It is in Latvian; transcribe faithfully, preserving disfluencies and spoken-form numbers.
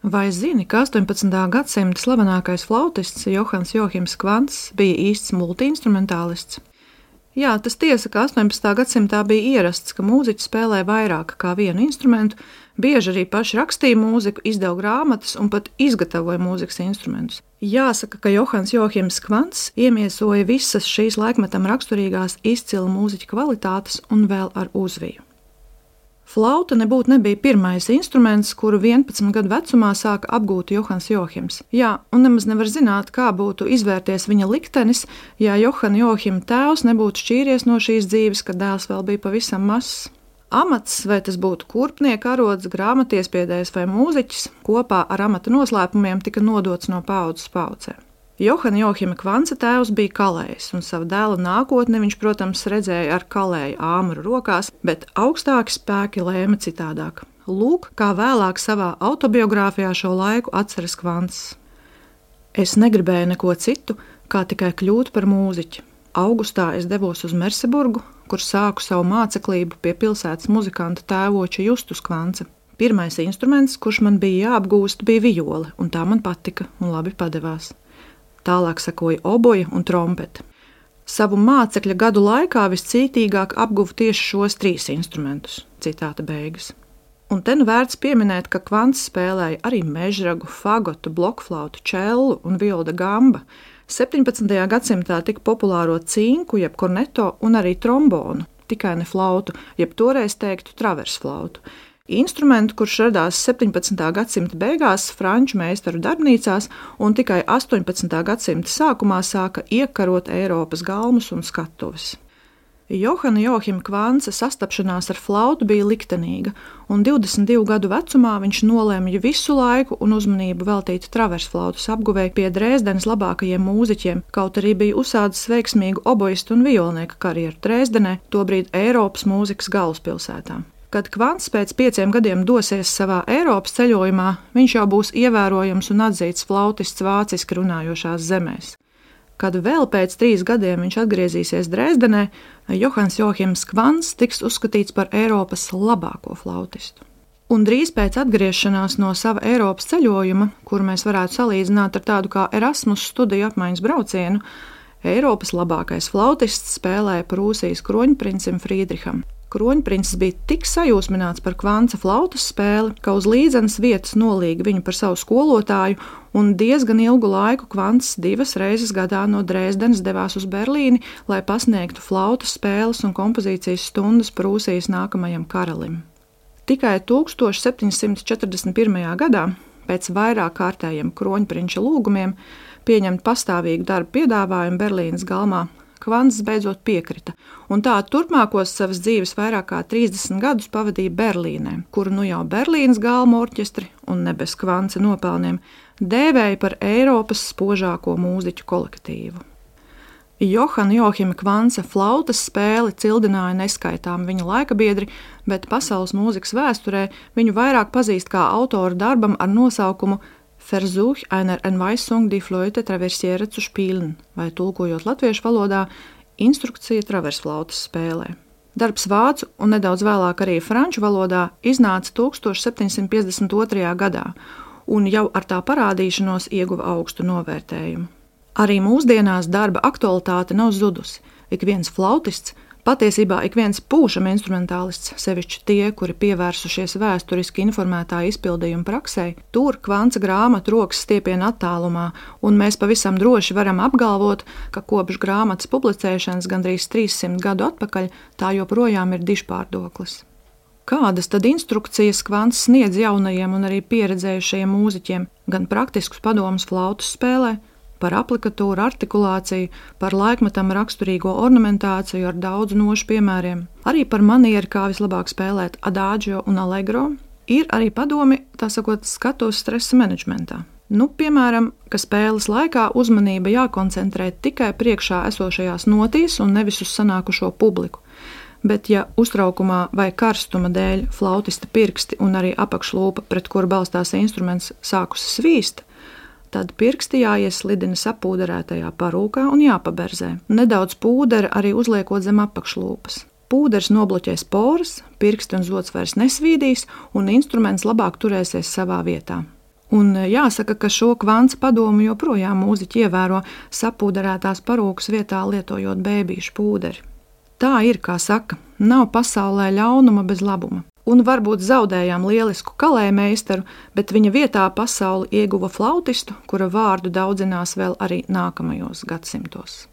Vai zini, ka astoņpadsmitā gadsimta slavenākais flautists Johans Johims Kvants bija īsts multiinstrumentālists? Jā, tas tiesa, ka astoņpadsmitā gadsimtā bija ierasts, ka mūziķi spēlē vairāk kā vienu instrumentu, bieži arī paši rakstīja mūziku, izdeva grāmatas un pat izgatavoja mūzikas instrumentus. Jāsaka, ka Johans Johims Kvants iemiesoja visas šīs laikmetam raksturīgās izcila mūziķa kvalitātes un vēl ar uzviju. Flauta nebūtu nebija pirmais instruments, kuru vienpadsmit gadu vecumā sāka apgūt Johans Johims. Jā, un nemaz nevar zināt, kā būtu izvērties viņa liktenis, ja Johana Johima tēvs nebūtu šķīries no šīs dzīves, kad dēls vēl bija pavisam mazs. Amats, vai tas būtu kurpnieka arods, grāmatiespiedējs vai mūziķis, kopā ar amata noslēpumiem tika nodots no paaudzes paaudzē. Johana Johima Kvantsa tēvs bija kalējs, un savu dēla nākotni viņš, protams, redzēja ar kalēju āmuru rokās, bet augstāki spēki lēma citādāk. Lūk, kā vēlāk savā autobiogrāfijā šo laiku atceras Kvants. Es negribēju neko citu, kā tikai kļūt par mūziķi. Augustā es devos uz Merseburgu, kur sāku savu māceklību pie pilsētas muzikanta tēvoča Justus Kvantsa. Pirmais instruments, kurš man bija jāapgūst, bija viole, un tā man patika un labi padevās. Tālāk sekoja oboja un trompete. Savu mācekļa gadu laikā viscītīgāk apguva tieši šos trīs instrumentus. Citāta beigas. Un te nu vērts pieminēt, ka Kvants spēlēja arī mežragu, fagotu, blokflautu, čellu un violu da gamba. septiņpadsmitajā gadsimtā tika populāro cinku, jeb korneto un arī trombonu, tikai ne flautu, jeb toreiz teiktu traversflautu. Instrumentu, kurš radās septiņpadsmitā gadsimta beigās franču meistaru darbnīcās un tikai astoņpadsmitā gadsimta sākumā sāka iekarot Eiropas galmus un skatuves. Johana Johima Kvantsa sastapšanās ar flautu bija liktenīga, un divdesmit divu gadu vecumā viņš nolēma visu laiku un uzmanību veltīt traversflautas apguvēji pie Dresdenes labākajiem mūziķiem, kaut arī bija uzsācis veiksmīgu oboistu un violnieka karjeru Dresdenē, tobrīd Eiropas mūzikas galvaspilsētā. Kad Kvants pēc pieciem gadiem dosies savā Eiropas ceļojumā, viņš jau būs ievērojams un atzīts flautists vāciski runājošās zemēs. Kad vēl pēc trīs gadiem viņš atgriezīsies Dresdenē, Johans Johims Kvants tiks uzskatīts par Eiropas labāko flautistu. Un drīz pēc atgriešanās no sava Eiropas ceļojuma, kuru mēs varētu salīdzināt ar tādu kā Erasmus studiju apmaiņas braucienu, Eiropas labākais flautists spēlēja Prūsijas kroņprincim Frīdriham. Kroņprincis bija tik sajūsmināts par Kvantsa flautas spēli, ka uz līdzenas vietas nolīga viņu par savu skolotāju, un diezgan ilgu laiku Kvants divas reizes gadā no Dresdenes devās uz Berlīni, lai pasniegtu flautas spēles un kompozīcijas stundas Prūsijas nākamajam karalim. Tikai tūkstoš septiņsimt četrdesmit pirmajā gadā, pēc vairāk kārtējiem kroņprinča lūgumiem, pieņemt pastāvīgu darbu piedāvājumu Berlīnes galmā, Kvants beidzot piekrita, un tā turpmākos savas dzīves vairāk kā trīsdesmit gadus pavadīja Berlīnē, kuru nu jau Berlīnes galmu orķestri un ne bez Kvantsa nopelniem dēvēja par Eiropas spožāko mūziķu kolektīvu. Johana Johima Kvantsa flautas spēli cildināja neskaitām viņa laikabiedri, bet pasaules mūzikas vēsturē viņu vairāk pazīst kā autoru darbam ar nosaukumu Versuch einer Anweisung die Flöte traversiere zu spielen, vai tulkojot latviešu valodā, instrukcija traversflautas spēlē. Darbs vācu un nedaudz vēlāk arī franču valodā iznāca tūkstoš septiņsimt piecdesmit otrajā gadā, un jau ar tā parādīšanos ieguva augstu novērtējumu. Arī mūsdienās darba aktualitāte nav zudusi. Ik viens flautists, patiesībā ik viens pūšam instrumentālists, sevišķi tie, kuri pievērsušies vēsturiski informētā izpildījuma praksē, tur Kvantsa grāmatu rokas stiepiena attālumā, un mēs pavisam droši varam apgalvot, ka kopš grāmatas publicēšanas gandrīz trīssimt gadu atpakaļ tā joprojām ir dižpārdoklis. Kādas tad instrukcijas Kvants sniedz jaunajiem un arī pieredzējušajiem mūziķiem, gan praktiskus padomus flautas spēlē, par aplikatūru, artikulāciju, par laikmetam raksturīgo ornamentāciju ar daudzu nošu piemēriem, arī par manieru, kā vislabāk spēlēt adagio un allegro, ir arī padomi, tā sakot, skatuves stresa menedžmentā. Nu, piemēram, ka spēles laikā uzmanība jākoncentrē tikai priekšā esošajās notīs un nevis uz sanākušo publiku. Bet ja uztraukumā vai karstuma dēļ flautista pirksti un arī apakšlūpa, pret kuru balstās instruments, sākusi svīst, tad pirksti jāieslidina sapūderētajā parūkā un jāpaberzē. Nedaudz pūdera arī uzliekot zem apakšlūpas. Pūders nobloķēs poras, pirksti un zods vairs nesvīdīs, un instruments labāk turēsies savā vietā. Un jāsaka, ka šo kvants padomu joprojām mūziķi ievēro, sapūderētās parūkas vietā lietojot bēbīšu pūderi. Tā ir, kā saka, nav pasaulē ļaunuma bez labuma. Un varbūt zaudējām lielisku kalējmeistaru, bet viņa vietā pasauli ieguva flautistu, kura vārdu daudzinās vēl arī nākamajos gadsimtos.